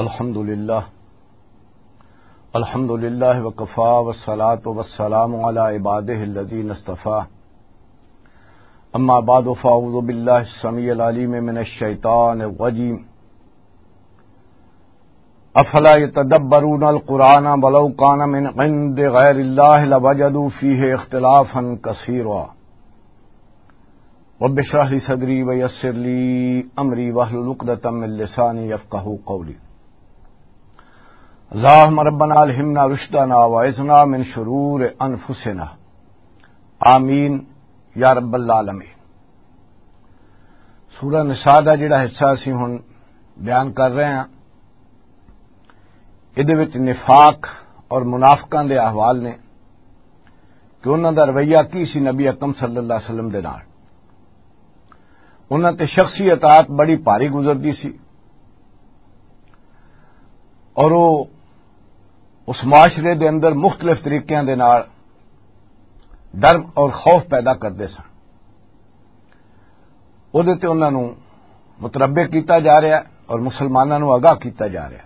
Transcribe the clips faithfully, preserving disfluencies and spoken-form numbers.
الحمد لله. الحمد لله وكفى، والصلاة والسلام على عباده الذين اصطفى. أما بعد، فأعوذ بالله السميع العليم من الشيطان الرجيم. أفلا يتدبرون القرآن ولو كان من عند غير الله لوجدوا فيه اختلافا كثيرا. رب اشرح لي صدري ويسر لي أمري واحلل عقدة من لساني يفقهوا قولي. اللهم ربنا ألهمنا رشدنا وأعذنا من شرور أنفسنا. آمين يا رب العالمين. سورہ نساء دا جڑا حصہ اسی ہن بیان کر رہے ہیں، ادھے وچ نفاق اور منافقاں دے احوال نے کہ انہاں دا رویہ کی سی نبی اکرم صلی اللہ علیہ وسلم دے نال۔ انہاں تے شخصی اطاعت بڑی بھاری گزردی سی، اور وہ اس معاشرے دے اندر مختلف طریقیاں دے نال ڈر اور خوف پیدا کردے سن۔ اودے تے انہاں نوں متربع کیتا جا رہا ہے اور مسلماناں نوں آگاہ کیتا جا رہا ہے۔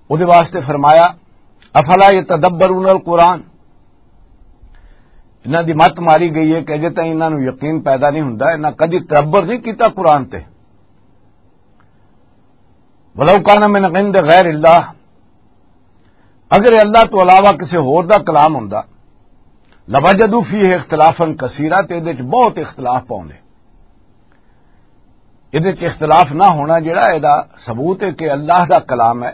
اودے واسطے فرمایا، "افلا یتدبرون القرآن؟" انہاں دی مت ماری گئی ہے کہ اجے تائیں انہاں نوں یقین پیدا نہیں ہوندا، انہاں کدی تدبر نہیں کیتا قرآن تے۔ "ولو کان من عند غیر اللہ"، اگر اللہ تو علاوہ کسی ہور دا کلام ہوندا، "لوجدوا فیہ اختلافا کثیرا"، تے ادے وچ بہت اختلاف پاؤندے۔ ادے وچ اختلاف نہ ہونا جڑا، ادا ثبوت ہے کہ اللہ دا کلام ہے،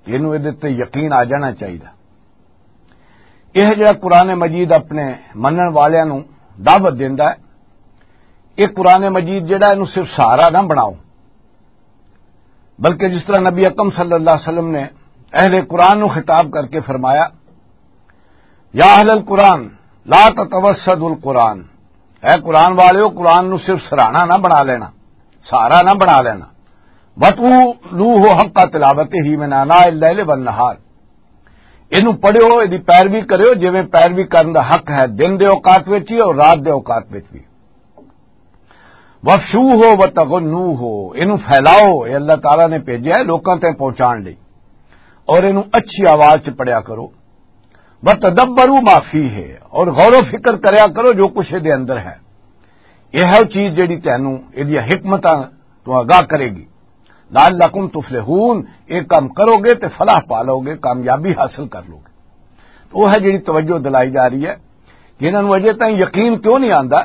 اینوں ادے تے یقین آ جانا چاہیدا۔ یہ جڑا قرآن مجید اپنے منن والیاں نوں دعوت دیندا ہے، یہ قرآن مجید جڑا، اینوں صرف سہارا نہ بناؤ، بلکہ جس طرح نبی اکرم صلی اللہ علیہ وسلم نے اہل قرآن نو خطاب کر کے فرمایا، "یا اہل القرآن، لا تتوسدوا القرآن"، اے قرآن والیو، قرآن نو صرف سرانا نہ بنا لینا، سہارا نہ بنا لینا۔ "وَاتْلُوهُ حَقَّ تِلَاوَتِهِ مِنْ آنَاءِ اللَّيْلِ وَالنَّهَارِ"، اینو پڑھیو، ایدی پیروی کریو، جویں پیروی کرن دا حق ہے دن دے اوقات وچ وی اور رات دے اوقات وچ وی۔ "وَافْشُوهُ وَتَغَنُّوهُ"، اینو پھیلاؤ، اے اللہ تعالیٰ نے بھیجا ہے لوکاں تک پہنچان لئی، اور اینو اچھی آواز چ پڑھیا کرو۔ "وَتَدَبَّرُوا مَا فِيهِ"، اور غور و فکر کریا کرو جو کچھ دے اندر ہے۔ یہ ہے وہ چیز جڑی تینوں ایدیاں حکمتاں تو آگاہ کرے گی۔ "لَعَلَّكُمْ تُفْلِحُونَ"، یہ کام کرو گے تے فلاح پا لو گے، کامیابی حاصل کر لو گے۔ تو وہ ہے جڑی توجہ دلائی جا رہی ہے کہ انہاں نوں اجے تائیں یقین کیوں نہیں آندا؟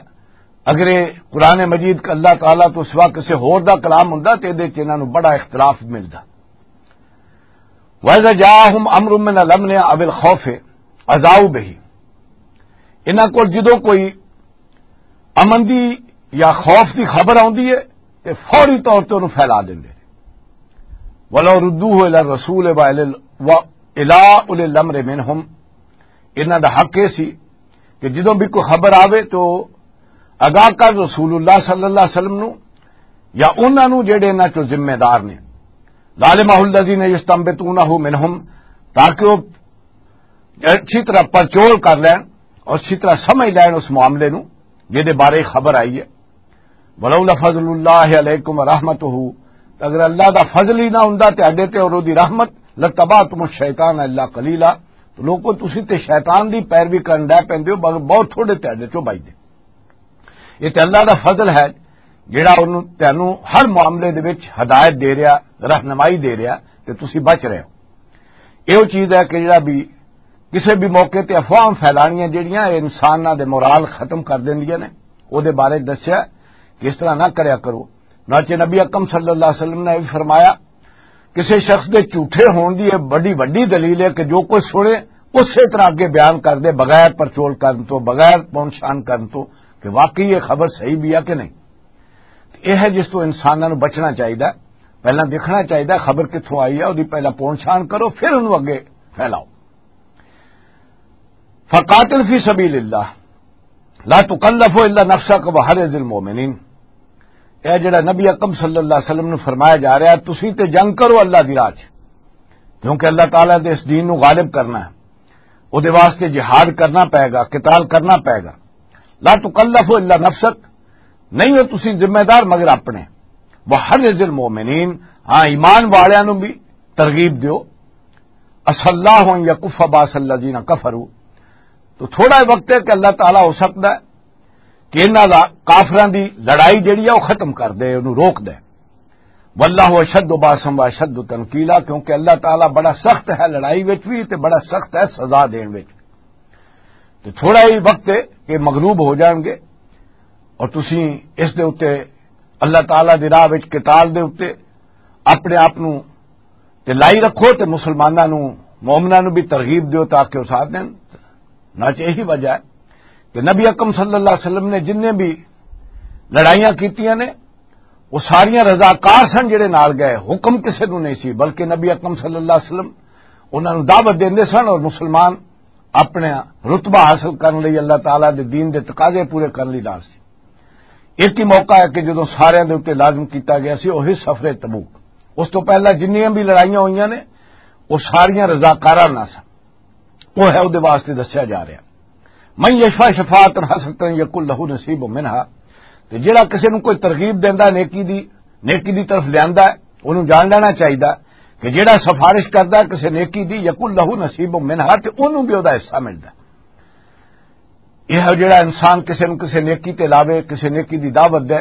اگر یہ قرآن مجید کا اللہ تعالیٰ تو سوا کسی ہور دا کلام ہوندا تے ادے وچ انہاں نوں بڑا اختلاف ملدا۔ "وَإِذَا جَاءَهُمْ أَمْرٌ مِّنَ الْأَمْنِ أَوِ الْخَوْفِ أَذَاعُوا بِهِ"، انہاں کول جدوں کوئی امن دی یا خوف دی خبر آندی ہے تے فوری طور تے انہوں پھیلا دیندے نے۔ "وَلَوْ رُدُّوهُ إِلَى الرَّسُولِ وَإِلَى ال-، وَإِلَى أُولِي الْأَمْرِ مِنْهُمْ"، انہاں دا حق یہ سی کہ جدوں بھی کوئی خبر آوے تو آگاہ کر رسول اللہ صلی اللہ علیہ وسلم نو یا انہاں نو جڑے انہاں چوں ذمہ دار نے، "لَعَلِمَهُ الَّذِينَ يَسْتَنبِطُونَهُ مِنْهُمْ"، تاکہ وہ اچھی طرح پرچول کر لین اور اچھی طرح سمجھ لین اس معاملے نو جدے بارے خبر آئی ہے۔ "وَلَوْلَا فَضْلُ اللَّهِ عَلَيْكُمْ وَرَحْمَتُهُ"، اگر اللہ دا فضل ہی نہ ہوندا تے اڈے تے اور دی رحمت، "لَاتَّبَعْتُمُ الشَّيْطَانَ إِلَّا قَلِيلًا"، تو لوکو تسی تے شیطان دی پیروی کرن ڈے پیندے ہو، مگر بہت تھوڑے تے اڈے چوں بچدے۔ یہ تے اللہ دا فضل ہے جڑا انہوں تینوں ہر معاملے دے وچ ہدایت دے رہا، رہنمائی دے رہا، تے تسی بچ رہے ہو۔ یہ وہ چیز ہے کہ جڑا بھی کسی بھی موقع تے افواہ پھیلانیاں جڑیاں، یہ انساناں دے مورال ختم کر دیندیاں نے، او دے بارے دسیا کہ اس طرح نہ کریا کرو۔ ناچے نبی اکرم صلی اللہ علیہ وسلم نے بھی فرمایا، کسی شخص دے جھوٹے ہون دی یہ بڑی وڈی دلیل ہے کہ جو کچھ سنے اسی طرح اگے بیان کر دے، بغیر پرچول کرن تو، بغیر پونچھان کرن تو کہ واقعی یہ خبر صحیح بھی ہے کہ نہیں۔ یہ ہے جس تو انساناں نوں بچنا چاہیدا۔ پہلاں دیکھنا چاہیدا خبر کتھوں آئی ہے، اودی پہلاں پونچھان کرو، پھر انہوں اگے پھیلاؤ۔ "فقاتل فی سبیل اللہ، لا تکلف الا نفسک وحرز المؤمنین"۔ اے جڑا نبی اکرم صلی اللہ علیہ وسلم نوں فرمایا جا رہا ہے، تسی تے جنگ کرو اللہ دی راہ چ، کیونکہ اللہ تعالیٰ دے اس دین نوں غالب کرنا ہے، او دے واسطے جہاد کرنا پائے گا، قتال کرنا پائے گا۔ "لا تکلف الا نفسک"، نہیں ہو تسی ذمہ دار مگر اپنے۔ وحرز المؤمنین، ہاں، ایمان والیاں نوں بھی ترغیب دیو۔ عسى الله أن يكف بأس الذين كفروا، تو تھوڑا وقت ہے کہ اللہ تعالیٰ ہو سکتا ہے کہ انہاں دا، کافراں دی لڑائی جڑی ہے، وہ ختم کر دے، انہوں روک دے۔ واللہ اشد باسا و اشد تنکیلا، کیونکہ اللہ تعالیٰ بڑا سخت ہے لڑائی وچ بھی تے بڑا سخت ہے سزا دین وچ بھی۔ تے تھوڑا ہی وقت ہے کہ مغلوب ہو جان گے، اور تسی اس دے اُتے، اللہ تعالیٰ دی راہ وچ قتال دے اُتے اپنے آپ نوں تے لائی رکھو، تے مسلماناں نوں، مومناں نوں بھی ترغیب دیو تاکہ وہ ساتھ دین۔ نہ چ یہی وجہ ہے کہ نبی اکرم صلی اللہ علیہ وسلم نے جنہیں بھی لڑائیاں کیتیاں نے، وہ ساریاں رضاکار سن جڑے نال گئے، حکم کسے نوں نہیں سی، بلکہ نبی اکرم صلی اللہ علیہ وسلم انہاں نوں دعوت دیندے سن، اور مسلمان اپنے رتبہ حاصل کرن لئی، اللہ تعالیٰ دے دین دے تقاضے پورے کرن لئی نال سی۔ ایک ہی موقع ہے کہ جدوں ساریاں دے اُتے لازم کیتا گیا سی، وہی سفر تبوک۔ اس تو پہلا جنیاں بھی لڑائیاں ہوئیاں نے، وہ ساریاں رضاکاراں نال سن۔ وہ ہے، وہ دے واسطے دسیا جا رہا۔ من یشفع شفاعتا حسنتا یکن لہ نصیب منہا، تے جڑا کسے نوں کوئی ترغیب دیندا، نیکی دی، نیکی دی طرف لیندا ہے، انہوں جان لینا چاہیدا کہ جڑا سفارش کردا ہے کسے نیکی دی، یکن لہ نصیب منہا، تے انہوں بھی او دا حصہ ملدا ہے۔ یہ جڑا انسان کسے نوں کسے نیکی تے لاوے، کسے نیکی دی دعوت دے،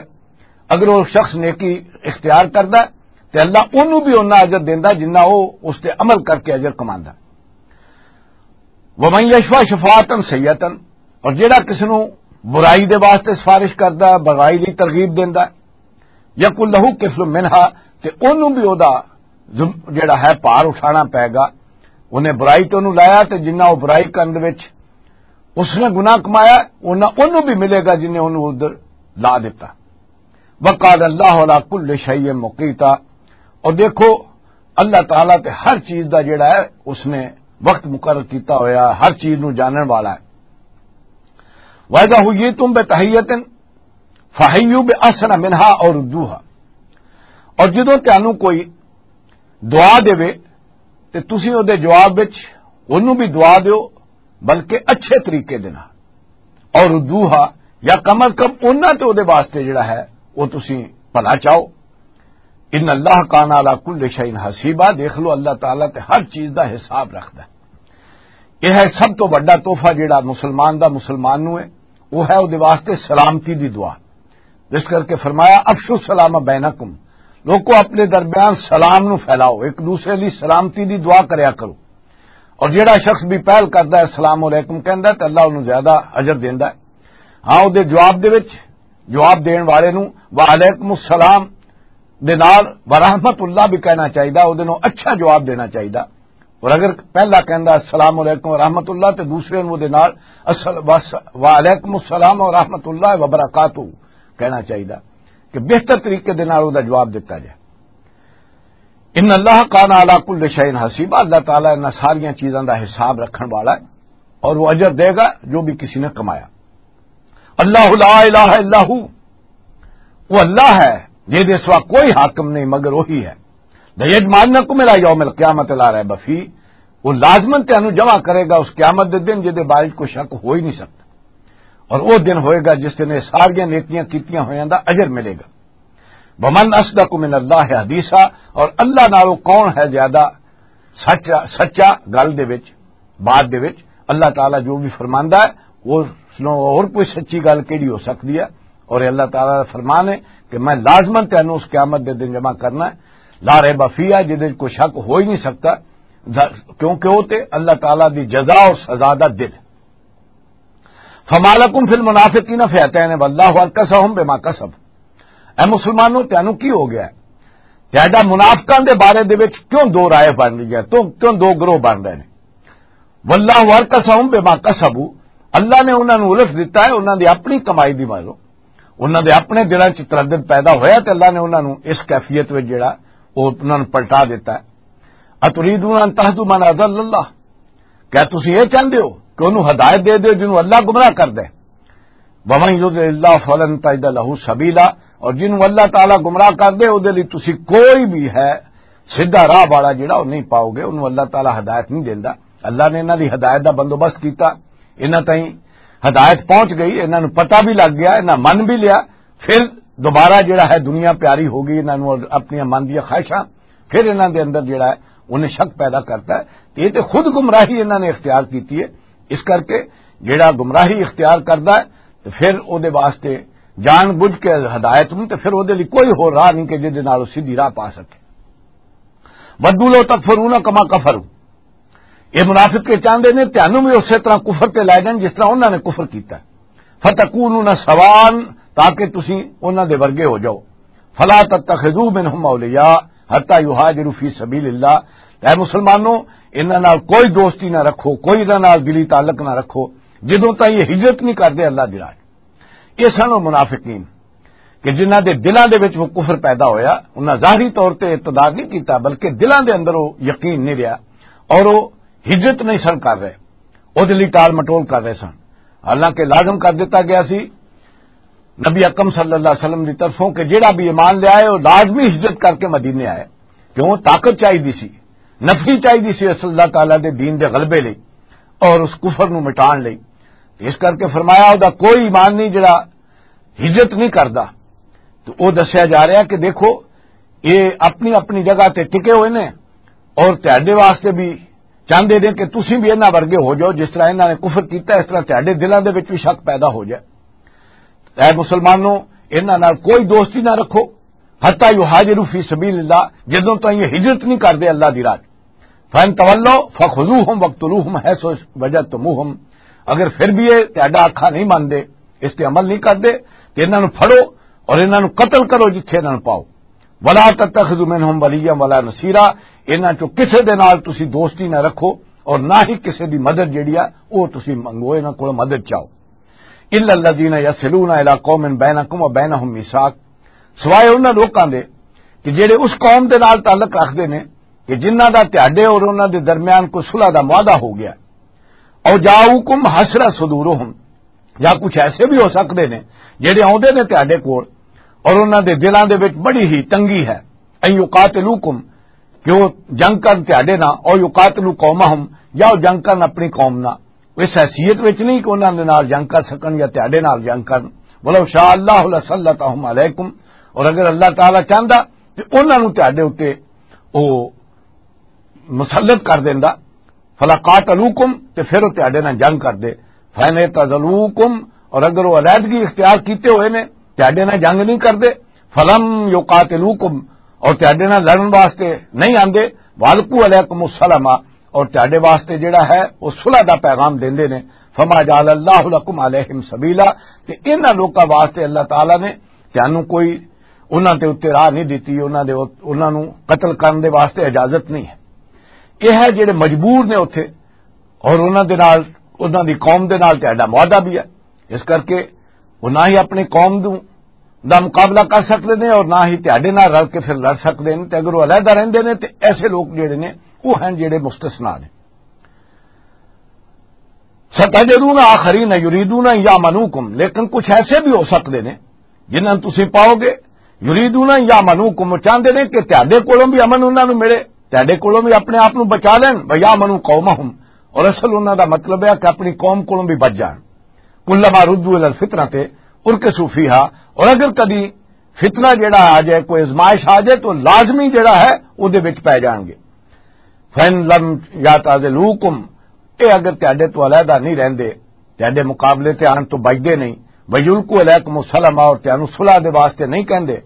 اگر وہ شخص نیکی اختیار کردا ہے، تے اللہ اونوں بھی اُنہاں اجر دیندا جنہاں وہ اس تے عمل کر کے اجر کماندا۔ ومن یشفع شفاعتا سیئتا، اور جڑا کس نوں برائی دے واسطے سفارش کردا ہے، برائی لئی ترغیب دیندا ہے، یکن لہ کفل منہا، تے اونوں بھی او دا ذم-، جڑا ہے، بھار اٹھانا پائے گا۔ انہیں برائی تے اونوں لایا، تے جنہ او برائی کرن دے وچ اس نے گناہ کمایا، انہاں اونوں بھی ملے گا جنہیں اونوں ادھر لا دیتا۔ وقال اللہ علی کل شیء مقیتا، اور دیکھو، اللہ تعالیٰ تے ہر چیز دا جڑا ہے، اس نے وقت مقرر کیتا ہویا، ہر چیز نو جانن والا ہے۔ وَإِذَا حُيِّيتُم بِتَحِيَّةٍ فَحَيُّوا بِأَحْسَنَ مِنْهَا أَوْ رُدُّوهَا، اور جدوں تانوں کوئی دعا دے، تے تسی او دے جواب وچ اونوں بھی دعا دیو، بلکہ اچھے طریقے دے نال۔ اور ردوہا، یا کم از کم انہاں تے او دے واسطے جڑا ہے، او تسی بھلا چاہو۔ ان اللہ کان علی کل شیء حسیبا، دیکھ لو، اللہ تعالیٰ تے ہر چیز دا حساب رکھدا ہے۔ یہ ہے سب تو بڑا تحفہ جڑا مسلمان دا مسلمان نو ہے، وہ ہے او دے واسطے سلامتی دی دعا۔ جس کر کے فرمایا، "افشوا السلام بینکم"، لوکو، اپنے درمیان سلام نو پھیلاؤ، ایک دوسرے لئی سلامتی دی دعا کریا کرو۔ اور جیڑا شخص بھی پہل کردا ہے، "السلام علیکم" کہندا ہے، تے اللہ انہوں زیادہ اجر دیندا ہے۔ ہاں، او دے جواب دے وچ، جواب دین والے نو "وعلیکم السلام" دے نال "ورحمۃ اللہ" بھی کہنا چاہیدا، او دے نو اچھا جواب دینا چاہیدا۔ اور اگر پہلا کہندا "السلام علیکم ورحمۃ اللہ" تے دوسرے نو دے نال "السل-، وس-، وعلیکم السلام ورحمۃ اللہ وبرکاتہ" کہنا چاہیدا، کہ بہتر طریقے دے نال او دا جواب دتا جائے۔ ان اللہ کان علی کل شیء حسیبا، اللہ تعالیٰ انہاں ساریاں چیزاں دا حساب رکھن والا ہے، اور وہ اجر دے گا جو بھی کسی نے کمایا۔ اللہ لا الہ الا ہو، وہ اللہ ہے، جے دے سوا کوئی حاکم نہیں مگر وہی ہے۔ لیجمعنکم الی یوم القیامۃ لا ریب فیہ، وہ لازماً تینوں جمع کرے گا اس قیامت دے دن، جے دے بارے کوئی شک ہو ہی نہیں سکتا۔ اور وہ دن ہوئے گا جس دن یہ ساریاں نیکیاں کیتیاں ہویاں دا اجر ملے گا۔ ومن اصدق من اللہ حدیثا، اور اللہ نالوں کون ہے زیادہ سچا، سچا گل دے وچ، بات دے وچ؟ اللہ تعالیٰ جو بھی فرماندا ہے، وہ سنو، اور کوئی سچی گل کیڑی ہو سکتی ہے؟ اور اللہ تعالیٰ دا فرمان ہے کہ میں لازماً تینوں اس قیامت دے دن جمع کرنا ہے، لا ریب فیہا، جدے وچ کوئی شک ہو ہی نہیں سکتا، دا-، کیونکہ وہ تے اللہ تعالیٰ دی جزا اور سزا دا دن۔ فما لکم فی المنافقین فئتین واللہ ارکسہم بما کسب۔ اے مسلمانوں، تینوں کی ہو گیا ہے؟ تیڈا منافقاں دے بارے دے وچ کیوں دو رائے بن رہی ہے؟ تو کیوں دو گروہ بن رہے ہیں؟ واللہ ارکسہم بما کسبوا، اللہ نے انہاں نوں الٹ دتا ہے انہاں دی اپنی کمائی دی مالوں۔ انہاں دے اپنے دلاں چ تردد پیدا ہویا تے اللہ نے انہاں نوں اس کیفیت وچ جڑا، او انہاں نوں پلٹا دتا ہے۔ اتریدون ان تہدوا من اضل اللہ، کیا تسی یہ چاہندے ہو کہ انہوں ہدایت دے دیو جنہوں اللہ گمراہ کر دے؟ ومن یضلل اللہ فلن تجد لہ سبیلا، اور جنہوں اللہ تعالیٰ گمراہ کر دے، او دے لئی تسی کوئی بھی ہے سیدھا راہ والا جڑا، وہ نہیں پاؤ گے، انہوں اللہ تعالیٰ ہدایت نہیں دیندا۔ اللہ نے انہاں دی ہدایت دا بندوبست کیتا، انہاں تائیں ہدایت پہنچ گئی، انہاں نوں پتہ بھی لگ گیا، انہاں من بھی لیا، پھر دوبارہ جڑا ہے دنیا پیاری ہو گئی انہاں نوں، اور اپنیاں من دیاں خواہشاں، پھر انہاں دے اندر جڑا ہے انہیں شک پیدا کرتا ہے۔ تے یہ تے خود گمراہی انہاں نے اختیار کیتی ہے۔ اس کر کے جڑا گمراہی اختیار کردا ہے، تے پھر او دے واسطے جان بوجھ کے ہدایت نوں، تے پھر او دے لئی کوئی ہور راہ نہیں کہ جس دے نال او سیدھی راہ پا سکے۔ ودوا لو تکفرون کما کفروا، یہ منافق کے چاہندے نے تانوں بھی اسی طرح کفر تے لے جان جس طرح انہاں نے کفر کیتا ہے۔ فتکونون سوان، تاکہ تسی انہاں دے ورگے ہو جاؤ۔ فلا تتخذوا منهم اولیاء حتی یہاجروا فی سبیل اللہ۔ اے مسلمانوں، انہاں نال کوئی دوستی نہ رکھو، کوئی انہاں نال دلی تعلق نہ رکھو، جدوں تائیں یہ ہجرت نہیں کردے اللہ دی راہ۔ یہ سن او منافقین کہ جنہاں دے دلاں دے وچ وہ کفر پیدا ہویا، انہاں ظاہری طور تے ارتداد نہیں کیتا، بلکہ دلاں دے اندر وہ یقین نہیں رہیا اور وہ ہجرت نہیں سن کر رہے، وہ دلی ٹال مٹول کر رہے سن۔ حالانکہ لازم کر دیتا گیا سی نبی اکرم صلی اللہ علیہ وسلم دی طرفوں کہ جڑا بھی ایمان لے آئے، وہ لازمی ہجرت کر کے مدینے آئے۔ کیوں؟ طاقت چاہیے سی، نفری چاہیے سی اس اللہ تعالیٰ دے دین دے غلبے لئی اور اس کفر نو مٹان لئی۔ اس کر کے فرمایا، او دا کوئی ایمان نہیں جڑا ہجرت نہیں کردا۔ تو او دسیا جا رہا کہ دیکھو، یہ اپنی اپنی جگہ تے ٹکے ہوئے نے اور تہاڈے واسطے بھی چاہندے نے کہ تسی بھی انہاں ورگے ہو جاؤ، جس طرح انہاں نے کفر کیتا، اس طرح تہاڈے دلاں دے وچ بھی شک پیدا ہو جائے۔ اے مسلمانوں، انہاں نال کوئی دوستی نہ رکھو، حتی یہاجروا فی سبیل اللہ، جدوں تائیں یہ ہجرت نہیں کردے اللہ دی راہ۔ فَإِن تَوَلَّوْا فَخُذُوهُمْ وَاقْتُلُوهُمْ حَيْثُ وَجَدْتُمُوهُمْ۔ اگر پھر بھی یہ تہاڈا آکھا نہیں مندے، اس تے عمل نہیں کردے، تے انہاں نوں پھڑو اور انہاں نوں قتل کرو جتھے انہاں نوں پاؤ۔ وَلَا تَتَّخِذُوا مِنْهُمْ وَلِيًّا وَلَا نَصِيرًا۔ انہاں چوں کسے دے نال تسی دوستی نہ رکھو اور نہ ہی کسے دی مدد جڑی آ، او تسی منگو، انہاں کول مدد چاہو۔ الا الذین یصلون الی قوم بینکم و بینہم میثاق، سوائے انہاں لوکاں دے کہ جڑے اس قوم دے نال تعلق رکھدے نے کہ جنہاں دا تہاڈے اور انہاں دے درمیان کوئی صلح دا معاہدہ ہو گیا۔ او جاؤکم حسرت صدورہم، یا کچھ ایسے بھی ہو سکدے نے جڑے آوندے نے تہاڈے کول اور انہاں دے دلاں دے وچ بڑی ہی تنگی ہے۔ ان یقاتلوکم، کہ وہ جنگ کرن تہاڈے نال، او یقاتلو قومہم، یا وہ جنگ کرن اپنی قوم نال۔ اس حیثیت وچ نہیں کہ انہاں دے نال جنگ کر سکن یا تہاڈے نال جنگ کرن۔ ولو شاء اللہ لسلطہم علیکم، اور اگر اللہ تعالیٰ چاہندا تے انہاں نوں تہاڈے اُتے او مسلط کر دیندا۔ فلا قاتلوکم، تے پھر وہ تہاڈے نال جنگ کردے۔ فَإِنِ اعْتَزَلُوكُمْ، اور اگر وہ علیحدگی اختیار کیتے ہوئے نے، تہاڈے نال جنگ نہیں کردے، فَلَمْ يُقَاتِلُوكُمْ، اور تہاڈے نال لڑن واسطے نہیں آندے، وَأَلْقَوْا إِلَيْكُمُ السَّلَامَ، اور تہاڈے واسطے جڑا ہے وہ صلح دا پیغام دیندے نے، فَمَا جَعَلَ اللَّهُ لَكُمْ عَلَيْهِمْ سَبِيلًا، تے انہاں لوکاں واسطے اللہ تعالیٰ نے تانوں کوئی انہاں دے اُتے راہ نہیں دتی، انہاں دے، انہاں نوں قتل کرن دے واسطے اجازت نہیں ہے۔ یہ ہے جڑے مجبور نے اتھے، اور انہاں دے نال، انہاں دی قوم دے نال تہاڈا معاہدہ بھی ہے، اس کر کے وہ نہ ہی اپنی قوم دوں، دا مقابلہ کر سکدے نے اور نہ ہی تہاڈے نال رل کے پھر لڑ سکدے نے۔ تے اگر وہ علیحدہ رہندے نے تے ایسے لوگ جڑے نے، وہ ہیں جڑے مستثنا نے۔ ستجدون آخرین یریدون ان یامنوکم، لیکن کچھ ایسے بھی ہو سکدے نے جنہاں تسی پاؤ گے، یریدون ان یامنوکم، وہ چاہندے نے کہ تہاڈے کولوں بھی امن انہاں نوں ملے، تہاڈے کولوں بھی اپنے آپ نوں بچا لین، و یامنو قومہم، اور اصل انہاں دا مطلب ہے کہ اپنی قوم کولوں بھی بچ جان۔ کلما ردوا الی الفتنۃ ارکسوا فیہا، اور اگر کدی فتنہ جڑا آ جائے، کوئی آزمائش آ جائے تو لازمی جڑا ہے او دے وچ پے جان گے۔ فَإِن لَمْ يَعْتَزِلُوكُمْ، اے اگر تہاڈے تو علیحدہ نہیں رہندے، تہاڈے مقابلے تے آن تو بچدے نہیں، وَيُلْقُوا إِلَيْكُمُ السَّلَامَ، اور تہانوں صلح دے واسطے نہیں کہندے،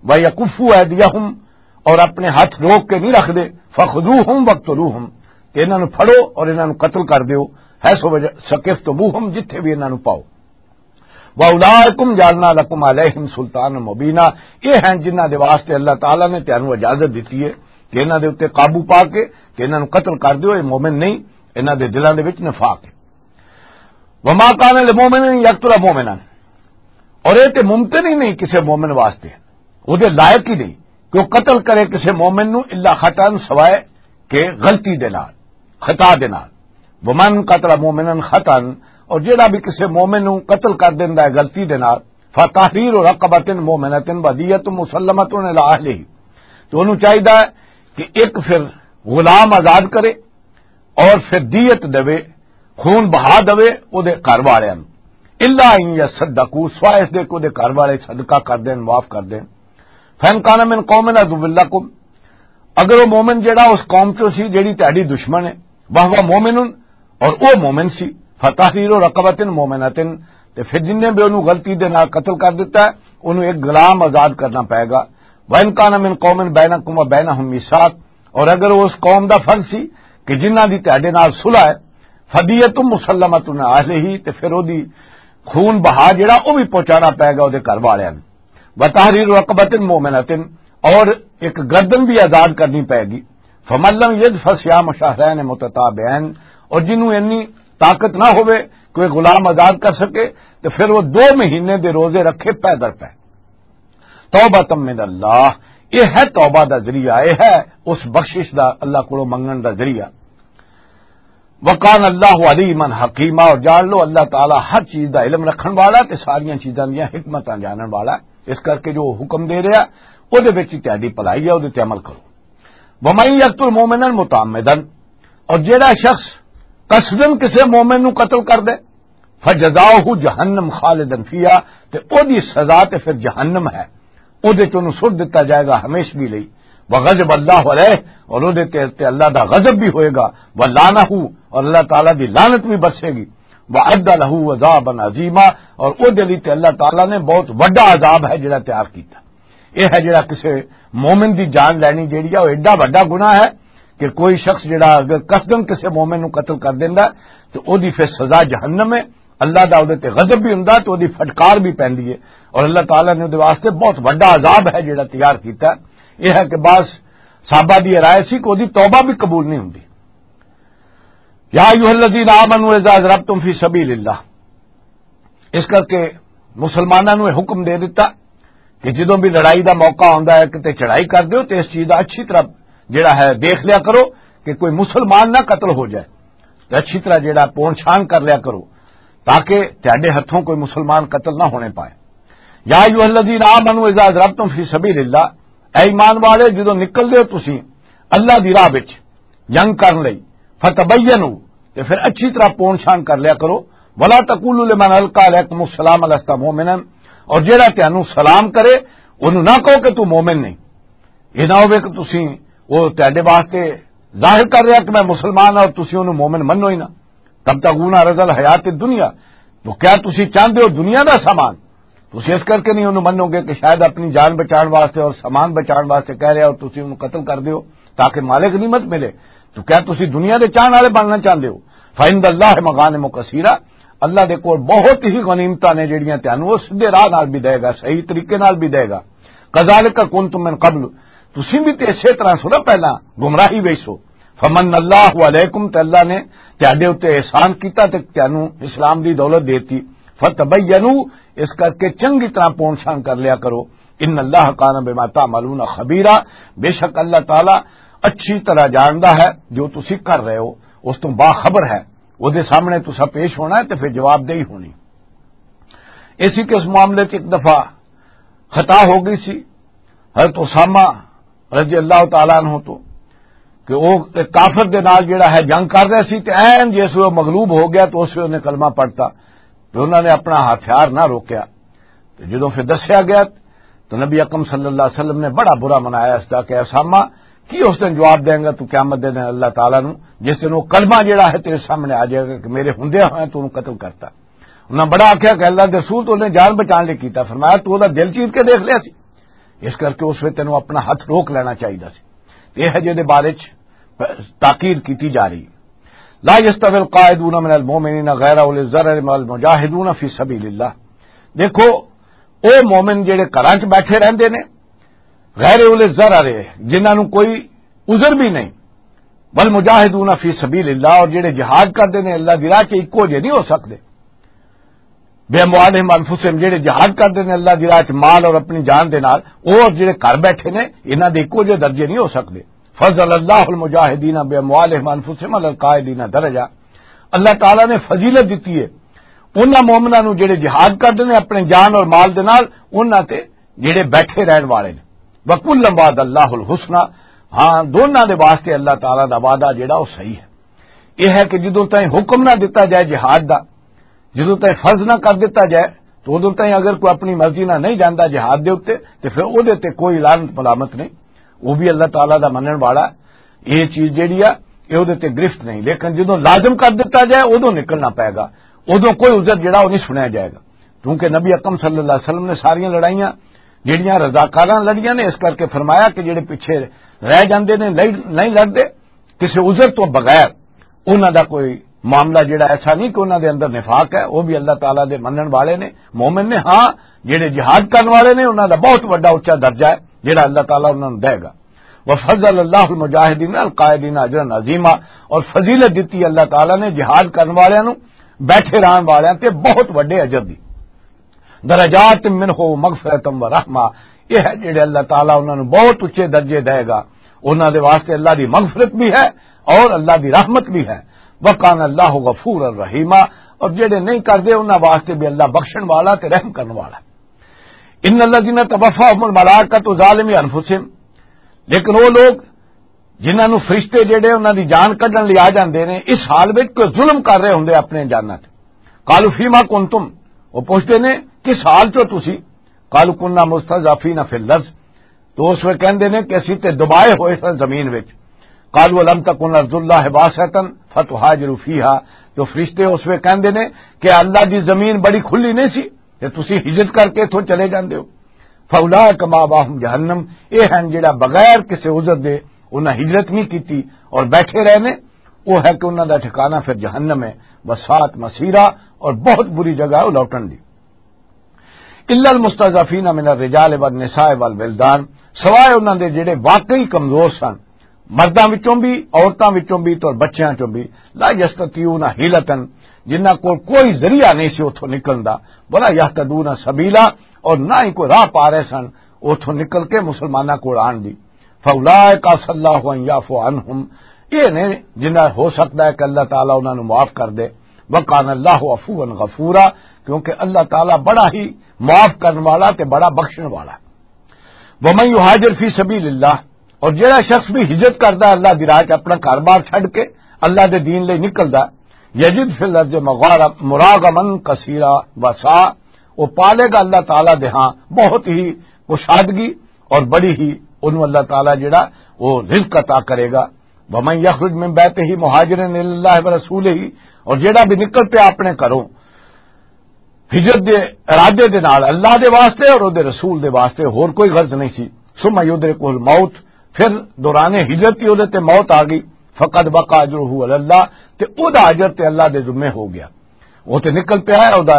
وَيَكُفُّوا أَيْدِيَهُمْ، اور اپنے ہاتھ روک کے نہیں رکھدے، فَخُذُوهُمْ وَاقْتُلُوهُمْ، تے انہاں نوں پھڑو اور انہاں نوں قتل کر دیو، حَيْثُ ثَقِفْتُمُوهُمْ، جتھے بھی انہاں نوں پاؤ۔ وَأُولَٰئِكُمْ جَعَلْنَا لَكُمْ عَلَيْهِمْ سُلْطَانًا مُّبِينًا، یہ ہیں جنہاں دے واسطے اللہ تعالیٰ نے تانوں اجازت دتی ہے کہ انہاں دے اُتے قابو پا کے تے انہاں نوں قتل کر دیو۔ یہ مومن نہیں، انہاں دے دلاں دے وچ نفاق ہے۔ وَمَا كَانَ لِمُؤْمِنٍ أَن يَقْتُلَ مُؤْمِنًا، اور یہ تے ممکن ہی نہیں کسے مومن واسطے، وہ دے لائق ہی نہیں کہ وہ قتل کرے کسے مومن نوں الا خطأً، سوائے کہ غلطی دے نال، خطا دے نال۔ وَمَن قَتَلَ مُؤْمِنًا خطأً، اور جیڑا بھی کسے مومن نوں قتل کر دیندا ہے غلطی دے نال، فَتَحْرِيرُ رَقَبَةٍ مُؤْمِنَةٍ وَدِيَّةٌ مُسَلَّمَةٌ إِلَىٰ أَهْلِهِ، تو انہوں چاہیدا ہے کہ ایک پھر غلام آزاد کرے اور پھر دیت دے، خون بہا دے او دے گھر والے نوں۔ الا ان یصدقوا، سوائے اس دے کہ دے گھر والے صدقہ کر دین، معاف کر دین۔ فان کان من قوم عدو لکم، اگر وہ مومن جڑا اس قوم چوں سی جڑی تہاڈی دشمن ہے، وہو مومن، اور وہ مومن سی، فتحریر رقبۃ مؤمنۃ، تے پھر جن نے بھی انہوں غلطی دے نال قتل کر دیتا ہے، انہوں ایک غلام آزاد کرنا پائے گا۔ وان کان من قوم بینکم و بینہم میثاق، اور اگر وہ اس قوم دا فرد سی کہ جنہاں دی تہاڈے نال صلح ہے، فدیۃ مسلمۃ الی اہلہ، تے پھر او دی خون بہا جڑا او بھی پہنچانا پائے گا او دے گھر والے نوں۔ وتحریر رقبۃ مؤمنۃ، اور ایک گردن بھی آزاد کرنی پائے گی۔ فمن لم یجد فصیام شہرین متتابعین، اور جنہوں اتنی طاقت نہ ہوئے کوئی غلام آزاد کر سکے، تو پھر وہ دو مہینے دے روزے رکھے پیدل پہ۔ توبۃ من اللہ، یہ ہے توبہ دا ذریعہ، یہ ہے اس بخشش دا اللہ کو منگن دا ذریعہ۔ وکان اللہ علیما حکیما، اور جان لو اللہ تعالیٰ ہر چیز دا علم رکھن والا تے ساریاں چیزاں دیاں حکمتاں جانن والا۔ اس کر کے جو حکم دے رہا، او دے وچ تہاڈی بھلائی ہے، او دے تے عمل کرو۔ ومن یقتل مؤمنا متعمدا، اور جیڑا شخص قصدن کسے مومن نو قتل کر دے، فجزاؤہ جہنم خالدا فیہا، تے او دی سزا تے پھر جہنم ہے، او دے چوں سٹ دتا جائے گا ہمیشگی لئی۔ وغضب اللہ علیہ، اور او دے تے، تے اللہ دا غضب بھی ہوئے گا، ولعنہ، اور اللہ تعالیٰ دی لعنت بھی برسے گی، واعد لہ عذابا عظیما، اور او دے لئی تے اللہ تعالیٰ نے بہت وڈا عذاب ہے جڑا تیار کیتا۔ یہ ہے جڑا کسے مومن دی جان لینی جیڑی ہے، وہ ایڈا وڈا گناہ ہے کہ کوئی شخص جڑا اگر قصدن کسے مومن نو قتل کر دیندا ہے، تو او دی پھر سزا جہنم ہے۔ اللہ دا اودے تے غضب بھی ہوندا، تو اودی پھٹکار بھی پیندی ہے، اور اللہ تعالیٰ نے اودے واسطے بہت وڈا عذاب ہے جڑا تیار کیتا۔ یہ ہے کہ بعض صحابہ دی رائے سی کہ اودی توبہ بھی قبول نہیں ہوندی۔ یا ایھا الذین آمنوا اذا ضربتم فی سبیل اللہ، اس کر کے مسلماناں نوں یہ حکم دے دتا کہ جدوں بھی لڑائی دا موقع آندا ہے، کتے چڑھائی کر دیو، تے اس چیز دا اچھی طرح جڑا ہے دیکھ لیا کرو کہ کوئی مسلمان نہ قتل ہو جائے، تے اچھی طرح جڑا پون چھان کر لیا کرو، تاکہ تہاڈے ہتھوں کوئی مسلمان قتل نہ ہونے پائے۔ یا ایھا الذین آمنوا اذا ضربتم فی سبیل اللہ، اے ایمان والے، جدوں نکل دیو تسی اللہ دی راہ وچ، جنگ کرن لئی، فتبینوا، تے پھر اچھی طرح پون چھان کر لیا کرو۔ ولا تقولوا لمن القى الیکم السلام لست مؤمنا، اور جیڑا تانوں سلام کرے، انہوں نہ کہو کہ تو مومن نہیں۔ یہ نہ ہوے کہ تسی، وہ تہاڈے واسطے ظاہر کر رہا کہ میں مسلمان ہاں اور تسی انہوں مومن منو ہی نہ۔ تبتغون عرض الحیات الدنیا، تو کیا تسی چاہندے ہو دنیا دا سامان؟ تسی اس کر کے نہیں انہوں منو گے کہ شاید اپنی جان بچان واسطے اور سامان بچان واسطے کہہ رہا اور تسی انہوں قتل کر دیو تاکہ مال غنیمت ملے۔ تو کیا تسی دنیا دے چاہن والے بننا چاہندے ہو؟ فعند اللہ مغانم کثیرہ، اللہ دے کول بہت ہی غنیمتاں نے جڑیاں تانوں وہ سیدھے راہ نال بھی دے گا، صحیح طریقے نال بھی دے گا۔ کذالک کنتم من قبل، تسی بھی تے اسے طرح سو نا پہلا گمراہی وچ سو۔ فمن اللہ علیکم، تے اللہ نے تہاڈے اُتے احسان کیتا تے تانوں اسلام دی دولت دیتی۔ فتبینوا، اس کر کے چنگی طرح پون چھان کر لیا کرو۔ ان اللہ کان بما تعملون خبیرا، بے شک اللہ تعالیٰ اچھی طرح جاندا ہے جو تسی کر رہے ہو، اس تو باخبر ہے۔ وہ دے سامنے تسا پیش ہونا ہے تے پھر جواب دہی ہونی۔ اسی کے اس معاملے 'چ ایک دفعہ خطا ہو گئی سی حضرت اسامہ رضی اللہ تعالیٰ عنہ تو، کہ وہ ایک کافر دے نال جڑا ہے جنگ کر رہا سی، تے عین جس وہ مغلوب ہو گیا تو اس ویلے انہیں کلمہ پڑھتا، تو انہوں نے اپنا ہتھیار نہ روکیا۔ تو جدوں پھر دسیا گیا تو نبی اکرم صلی اللہ علیہ وسلم نے بڑا برا منایا اس دا کہ اسامہ، کی اس دن جواب دیں گا تو قیامت دے دن اللہ تعالیٰ نو، جس دن وہ کلمہ جڑا ہے تیرے سامنے آ جائے گا کہ میرے ہوندے ہوئے تو انہوں قتل کرتا۔ انہاں بڑا آکھیا کہ اللہ دے رسول تو انہیں جان بچان لئی کیتا، فرمایا تو دا دل چیر کے دیکھ لیا سی، اس کر کے اس وچ تینوں اپنا ہاتھ روک لینا چاہیدا سی۔ یہ ہے جے دے بارے چ تاکید کیتی جا رہی۔ لا یستوی القاعدون من المؤمنین غیر اولی الضرر من المجاہدون فی سبیل اللہ۔ دیکھو، او مومن جڑے گھراں چ بیٹھے رہندے نے، غیر اولی الضرر ہے، جنہاں نوں کوئی عذر بھی نہیں، والمجاہدون فی سبیل اللہ، اور جڑے جہاد کردے نے اللہ دی راہ چ، اکو جے نہیں ہو سکدے۔ بے اموالہم انفسہم، جڑے جہاد کردے نے اللہ دی راہ چ مال اور اپنی جان دے نال، او اور جڑے گھر بیٹھے نے، انہاں دے اکو جے درجے نہیں ہو سکدے۔ فضل اللہ المجاہدین بے اموالہم انفسہم علی القاعدین درجہ۔ اللہ تعالیٰ نے فضیلت دتی ہے انہاں مومناں نوں جڑے جہاد کردے نے اپنے جان اور مال دے نال، انہاں تے جڑے بیٹھے رہن والے نے۔ وَكُلًّا وَعَدَ اللَّهُ الْحُسْنَىٰ، ہاں، دوناں دے واسطے اللہ تعالیٰ دا وعدہ جڑا وہ صحیح ہے۔ یہ ہے کہ جدوں تائیں حکم نہ دتا جائے جہاد دا، جدوں تائیں فرض نہ کر دتا جائے، تو ادوں تائیں اگر کوئی اپنی مرضی نہ نہیں جاندا جہاد دے اُتے، تے پھر اودے تے کوئی لعنت ملامت نہیں۔ وہ بھی اللہ تعالیٰ دا منن والا۔ یہ چیز جیڑی آ، یہ اودے تے گرفت نہیں، لیکن جدوں لازم کر دتا جائے، ادوں نکلنا پائے گا، ادوں کوئی عذر جیڑا وہ نہیں سنیا جائے گا۔ کیونکہ نبی اکرم صلی اللہ علیہ وسلم نے ساریاں لڑائیاں جیڑیاں رضاکاراں لڑیاں نے، اس کر کے فرمایا کہ جیڑے پیچھے رہ جاندے نے، نہیں، نہیں لڑدے، کسی عذر تو بغیر، انہاں دا کوئی معاملہ جڑا ایسا نہیں کہ انہاں دے اندر نفاق ہے، وہ بھی اللہ تعالیٰ دے منن والے نے، مومن نے۔ ہاں، جڑے جہاد کرن والے نے، انہاں دا بہت وڈا اچا درجہ ہے جڑا اللہ تعالیٰ انہاں نوں دے گا۔ وفضل اللہ المجاہدین القائدین اجرا عظیما، اور فضیلت دتی اللہ تعالیٰ نے جہاد کرن والےاں نوں، بیٹھے رہن والےاں تے بہت وڈے اجر دی۔ درجات منہ و مغفرتم و رحمہ، یہ ہے جڑے اللہ تعالیٰ انہاں نوں بہت اچے درجے دے گا۔ انہاں دے واسطے اللہ دی مغفرت بھی ہے اور اللہ دی رحمت بھی ہے۔ وکان اللہ غفور الرحیمہ، اور جڑے نہیں کردے انہاں واسطے بھی اللہ بخشن والا تے رحم کرن والا۔ ان الذین توفاہم الملائکۃ ظالمی انفسہم، لیکن وہ لوگ جنہاں نوں فرشتے جڑے انہاں دی جان کڈن لئی آ جاندے نے، اس حال وچ کوئی ظلم کر رہے ہوندے اپنے جاناں تے۔ قالوا فیما کنتم، وہ پوچھتے نے، "کس حال چو تسی؟" قالوا کنا مستضعفین فی الارض، تو اس وقت کہندے نے کہ اسی تے دبائے ہوئے سن زمین وچ۔ قالوا الم تکن ارض اللہ واسعۃ فتہاجروا فیہا، تو فرشتے اس وقت کہندے نے کہ اللہ دی زمین بڑی کھلی نہیں سی، تے تسی ہجرت کر کے اتھوں چلے جاندے ہو۔ فاولئک مأواہم جہنم، اے ہن جڑا بغیر کسے عذر دے انہاں ہجرت نہیں کیتی اور بیٹھے رہنے، وہ ہے کہ انہاں دا ٹھکانہ پھر جہنم ہے، وساءت مصیرا، اور بہت بری جگہ ہے وہ لوٹن دی۔ الا المستضعفین من الرجال والنساء والولدان، سوائے انہاں دے جڑے واقعی کمزور سن، مرداں وچوں بھی، عورتاں وچوں بھی، تے بچیاں چوں بھی، لا یستطیعون حیلۃ، جنہاں کول کوئی ذریعہ نہیں سی اتھوں نکلن دا، ولا یہتدون سبیلا، اور نہ ہی کوئی راہ پا رہے سن اتھوں نکل کے مسلماناں کول آن دی۔ فاولئک عسى اللہ ان یعفو عنہم، یہ نے جنہاں ہو سکتا ہے کہ اللہ تعالیٰ انہاں نوں معاف کر دے۔ وکان اللہ عفوا غفورا، کیونکہ اللہ تعالیٰ بڑا ہی معاف کرن والا تے بڑا بخشن والا۔ ومن یہاجر فی سبیل اللہ، اور جڑا شخص بھی ہجرت کردا ہے اللہ دی راہ چ، اپنا گھر بار چھڈ کے اللہ دے دین لئی نکلدا، یجد فی الارض مغارا-، مراغما کثیرا وسعا، وہ پالے گا اللہ تعالیٰ دے ہاں بہت ہی کشادگی اور بڑی ہی، انہوں اللہ تعالیٰ جڑا وہ رزق عطا کرے گا۔ ومن یخرج من بیتہ مہاجرا الی اللہ ورسولہ، اور جڑا بھی نکل پیا اپنے گھروں ہجرت دے ارادے دے نال اللہ دے واسطے اور اودے رسول دے واسطے، ہور کوئی غرض نہیں سی۔ ثم یدرکہ الموت، پھر دوران ہجرت ہی اودے تے موت آ گئی۔ فقد وقع اجرہ علی اللہ، تے او دا اجر تے اللہ دے ذمے ہو گیا۔ وہ تے نکل پیا ہے، او دا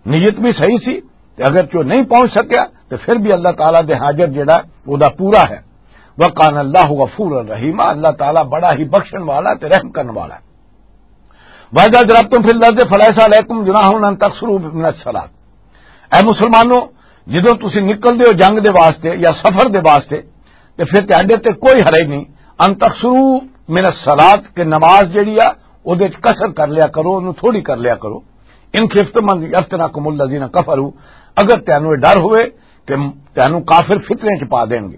نیت بھی صحیح سی، تے اگر کہ وہ نہیں پہنچ سکیا تے پھر بھی اللہ تعالیٰ دے ہاں اجر جڑا او دا پورا ہے۔ وکان اللہ غفور الرحیم، اللہ تعالیٰ بڑا ہی بخشن والا تے رحم کرن والا ہے۔ وَإِذَا ضَرَبْتُمْ فِي الْأَرْضِ فَلَيْسَ عَلَيْكُمْ جُنَاحٌ أَن تَقْصُرُوا مِنَ الصَّلَاةِ۔ اے مسلمانوں، جدوں تسی نکلدے ہو جنگ دے واسطے یا سفر دے واسطے، تے پھر تہاڈے تے کوئی حرج نہیں، ان تقصروا من الصلاۃ، کہ نماز جڑی آ، اودے وچ قصر کر لیا کرو، اونوں تھوڑی کر لیا کرو۔ ان خفتم ان یفتنکم الذین کفروا، اگر تانوں یہ ڈر ہوئے کہ تانوں کافر فتنے چ پا دین گے۔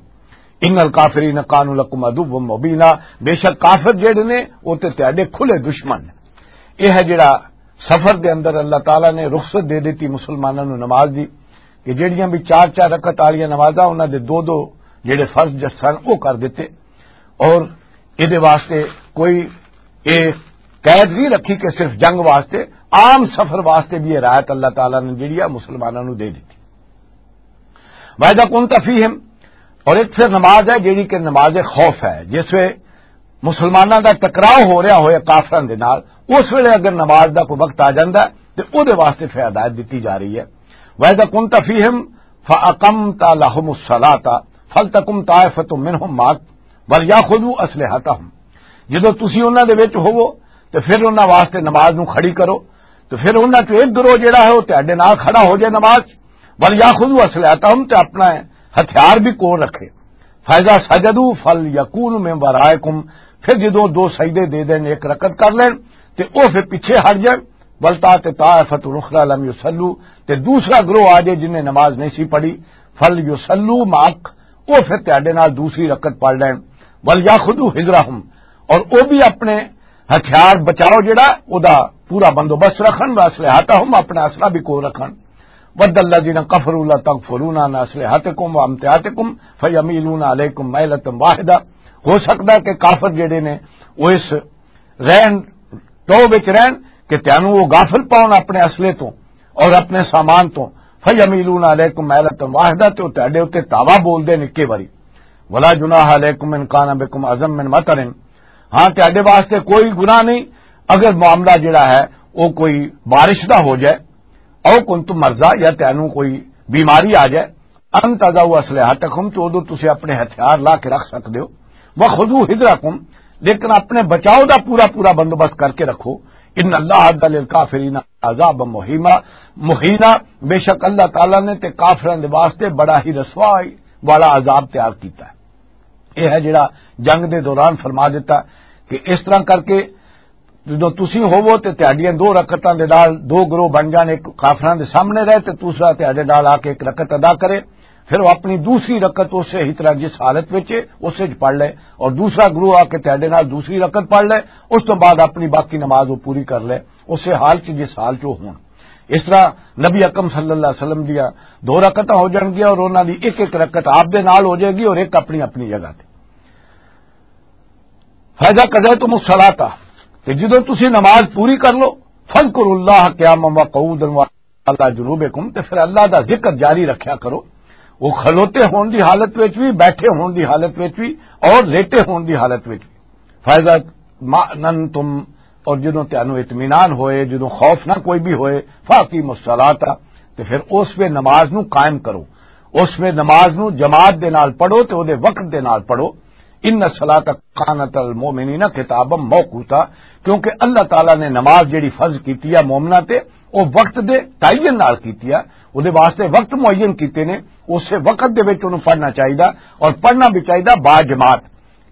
ان الکافرین کانوا لکم عدوا مبینا، بے شک کافر جڑے نے، وہ تے تہاڈے کھلے دشمن نے۔ یہ ہے جڑا سفر دے اندر اللہ تعالیٰ نے رخصت دے دتی مسلماناں نوں نماز دی، کہ جڑیاں بھی چار چار رکعت والیاں نمازاں، انہاں دے دو دو جڑے فرض جس سن، وہ کر دتے۔ اور اے دے واسطے کوئی اے قید نہیں رکھی کہ صرف جنگ واسطے، عام سفر واسطے بھی یہ رعایت اللہ تعالیٰ نے جڑی آ مسلماناں نوں دے دتی۔ وَإِذَا كُنْتَ فِيهِمْ، اور ایک پھر نماز ہے جڑی کہ نماز خوف ہے، جس وے مسلماناں دا ٹکراؤ ہو رہا ہوئے کافراں دے نال، اس ویلے اگر نماز دا کوئی وقت آ جاندا ہے تے او دے واسطے پھر ہدایت دتی جا رہی ہے۔ وَإِذَا كُنْتَ فِيهِمْ فَأَقَمْتَ لَهُمُ الصَّلَاةَ فَلْتَقُمْ طَائِفَةٌ مِّنْهُمْ مَعَكَ وَلْيَأْخُذُوا أَسْلِحَتَهُمْ، جدوں تسی انہاں دے وچ ہوو تے پھر انہاں واسطے نماز نوں کھڑی کرو، تے پھر انہاں چوں ایک گروہ جڑا ہے، وہ تہاڈے نال کھڑا ہو جائے نماز۔ وَلْيَأْخُذُوا أَسْلِحَتَهُمْ، تے اپنا ہتھیار بھی کول رکھے۔ فَإِذَا سَجَدُوا فَلْيَكُونُوا مِنْ وَرَائِكُمْ، پھر جدوں دو سجدے دے دین، ایک رکعت کر لین، تے او پھر پیچھے ہٹ جائے۔ وَلْتَأْتِ طَائِفَةٌ أُخْرَىٰ لَمْ يُصَلُّوا، تے دوسرا گروہ آ جائے جن نے نماز نہیں سی پڑھی۔ فَلْيُصَلُّوا مَعَكَ، او پھر تہاڈے نال دوسری رکعت پڑھ لین۔ وَلْيَأْخُذُوا حِذْرَهُمْ، اور او بھی اپنے ہتھیار بچاؤ جڑا او دا پورا بندوبست رکھن، واسلحتہم، اپنا اسلحہ بھی کول رکھن۔ ود الذین کفروا لتکفرون عن اسلحتکم وامتعاتکم فیمیلون علیکم میلۃ واحدہ۔ ہو سکدا ہے کہ کافر جڑے نے، وہ اس رہن ٹو وچ رہن کہ تینوں وہ غافل پاؤن اپنے اسلحے تو اور اپنے سامان تو۔ فیمیلون علیکم میلۃ واحدہ، تے وہ تہاڈے اُتے تاوا بول دے نکے واری۔ ولا جناح علیکم ان کان بکم اذی من مطر۔ ہاں، تہاڈے واسطے کوئی گناہ نہیں اگر معاملہ جڑا ہے وہ کوئی بارش دا ہو جائے، او کنتم مرضی، یا تینوں کوئی بیماری آ جائے، ان تضعوا اسلحتکم، تو ادو تسی اپنے ہتھیار لا کے رکھ سکدے ہو۔ وخذوا حذرکم، لیکن اپنے بچاؤ دا پورا پورا بندوبست کر کے رکھو۔ ان اللہ اعد للکافرین عذابا مہیما، مہینا، بے شک اللہ تعالیٰ نے تے کافراں دے واسطے بڑا ہی رسوائی والا عذاب تیار کیتا ہے۔ یہ ہے جڑا جنگ دے دوران فرما دیتا کہ اس طرح کر کے جدوں تسی ہوو تے تہاڈیاں دو رکعتاں دے نال دو گروہ بن جان، ایک کافراں دے سامنے رہے تے دوسرا تہاڈے نال آ کے ایک رکعت ادا کرے، پھر وہ اپنی دوسری رکعت اسے ہی طرح جس حالت وچ ہے، اسے وچ پڑھ لے، اور دوسرا گروہ آ کے تہاڈے نال دوسری رکعت پڑھ لے، اس تو بعد اپنی باقی نماز وہ پوری کر لے، اسے حال چ جس حال چ وہ ہون۔ اس طرح نبی اکرم صلی اللہ علیہ وسلم دیاں دو رکعتاں ہو جان گیاں اور انہاں دی ایک ایک رکعت آپ دے نال ہو جائے گی اور ایک اپنی اپنی جگہ تے۔ فَإِذَا قَضَيْتُمُ الصَّلَاةَ، تے جدوں تسی نماز پوری کر لو، فَاذْكُرُوا اللَّهَ قِيَامًا وَقُعُودًا وَعَلَىٰ جُنُوبِكُمْ، تے پھر اللہ دا ذکر جاری رکھیا کرو، وہ کھلوتے ہون دی حالت وچ بھی، بیٹھے ہون دی حالت وچ بھی، اور لیٹے ہون دی حالت وچ بھی۔ فَإِذَا اطْمَأْنَنْتُمْ، اور جدوں تانوں اطمینان ہوئے، جدوں خوف نہ کوئی بھی ہوئے، فَأَقِيمُوا الصَّلَاةَ، تے پھر اس وے نماز نو قائم کرو، اس وے نماز نو جماعت دے نال پڑھو تے او دے وقت دے نال پڑھو۔ ان الصلاۃ کانت علی المؤمنین کتابا موقوتا، کیونکہ اللہ تعالیٰ نے نماز جڑی فرض کیتی ہے مومناں تے، او وقت دے تعین نال کیتی ہے، او دے واسطے وقت معین کیتے نے، اسے وقت دے وچ اونوں پڑھنا چاہیدا اور پڑھنا بھی چاہیدا با جماعت،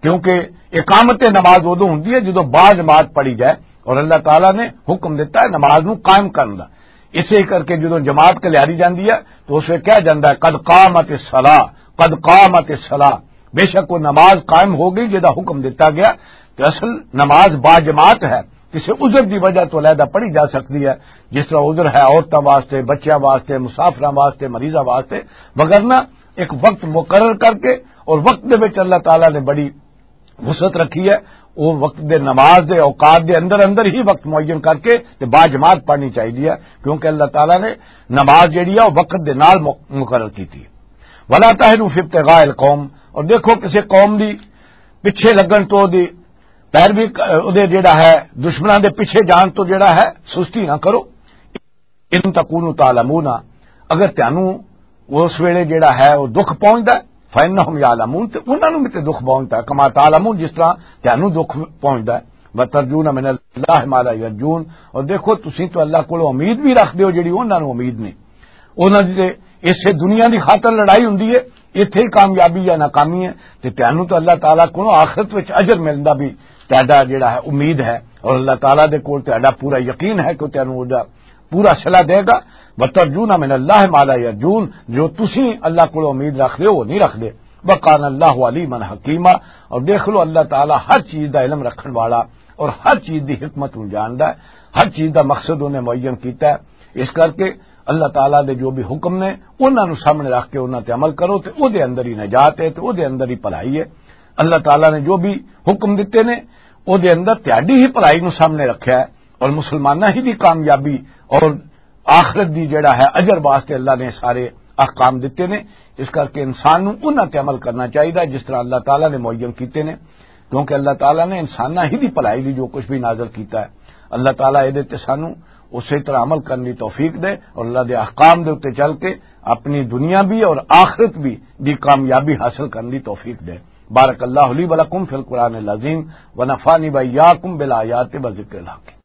کیونکہ اقامت نماز ادوں ہوندی ہے جدوں با جماعت پڑھی جائے، اور اللہ تعالیٰ نے حکم دیتا ہے نماز نوں قائم کرن دا۔ اسے کر کے جدوں جماعت کلیاری جاندی ہے تو اسے کہا جاندا ہے، "قد قامت الصلاۃ، قد قامت الصلاۃ"، بے شک وہ نماز قائم ہو گئی جدا حکم دیتا گیا۔ تو اصل نماز با جماعت ہے، کسی عذر دی وجہ تو علیحدہ پڑھی جا سکتی ہے، جس طرح عذر ہے عورتوں واسطے، بچیاں واسطے، مسافراں واسطے، مریضاں واسطے، وگرنہ ایک وقت مقرر کر کے اور وقت دے وچ اللہ تعالیٰ نے بڑی وسعت رکھی ہے۔ وہ وقت دے نماز دے اوقات دے اندر اندر ہی وقت معین کر کے تے با جماعت پڑھنی چاہیے ہے، کیونکہ اللہ تعالیٰ نے نماز جڑی ہے وہ وقت دے نال م-، مقرر کی تھی۔ ولا تہنوا فی ابتغاء القوم، اور دیکھو کسی قوم دی پیچھے لگن تو دی پیروی ک-، او دے جڑا ہے دشمناں دے پیچھے جان تو جڑا ہے سستی نہ کرو۔ ان تکونوا تعلمون، اگر تانوں اس ویلے جڑا ہے وہ دکھ پہنچدا ہے، فانہم یعلمون، تے انہاں نوں بھی تے دکھ پہنچدا ہے، کما تعلمون، جس طرح تانوں دکھ پہنچدا ہے۔ وترجون من اللہ ما لا یرجون، اور دیکھو تسی تو اللہ کول امید بھی رکھ دیو جڑی انہاں نوں امید نہیں۔ انہاں دی تے اسے دنیا دی خاطر لڑائی ہوندی ہے، ایتھے ہی کامیابی یا ناکامی ہے، تے تانوں تو اللہ تعالیٰ کولوں آخرت وچ اجر ملن دا بھی تہاڈا جڑا ہے امید ہے، اور اللہ تعالیٰ دے کول تہاڈا پورا یقین ہے کہ تانوں او دا پورا صلہ دے گا۔ وترجون من اللہ ما لا یرجون، جو تسی اللہ کولوں امید رکھ دے ہو وہ نہیں رکھ دے۔ وکان اللہ علیما حکیما، اور دیکھ لو اللہ تعالیٰ ہر چیز دا علم رکھن والا اور ہر چیز دی حکمت نوں جاندا ہے، ہر چیز دا مقصد انہیں معین کیتا ہے۔ اس کر کے اللہ تعالیٰ دے جو بھی حکم نے انہاں نوں سامنے رکھ کے انہاں تے عمل کرو تے او دے اندر ہی نجات ہے تے او دے اندر ہی بھلائی ہے۔ اللہ تعالیٰ نے جو بھی حکم دتے نے او دے اندر تہاڈی ہی بھلائی نوں سامنے رکھیا ہے، اور مسلماناں ہی دی کامیابی اور آخرت دی جڑا ہے اجر واسطے اللہ نے سارے احکام دتے نے۔ اس کر کے انسان نوں انہاں تے عمل کرنا چاہیدا جس طرح اللہ تعالیٰ نے معین کیتے نے، کیونکہ اللہ تعالیٰ نے انساناں ہی دی بھلائی دی جو کچھ بھی نازل کیتا ہے، اللہ تعالیٰ اے دے تے سانوں اسی طرح عمل کرنے دی توفیق دے اور اللہ دے احکام دے اُتے چل کے اپنی دنیا بھی اور آخرت بھی دی کامیابی حاصل کرنے دی توفیق دے۔ بارک اللہ لی و لکم فی القرآن العظیم و نفعنی و ایاکم بالآیات و ذکر الحکیم۔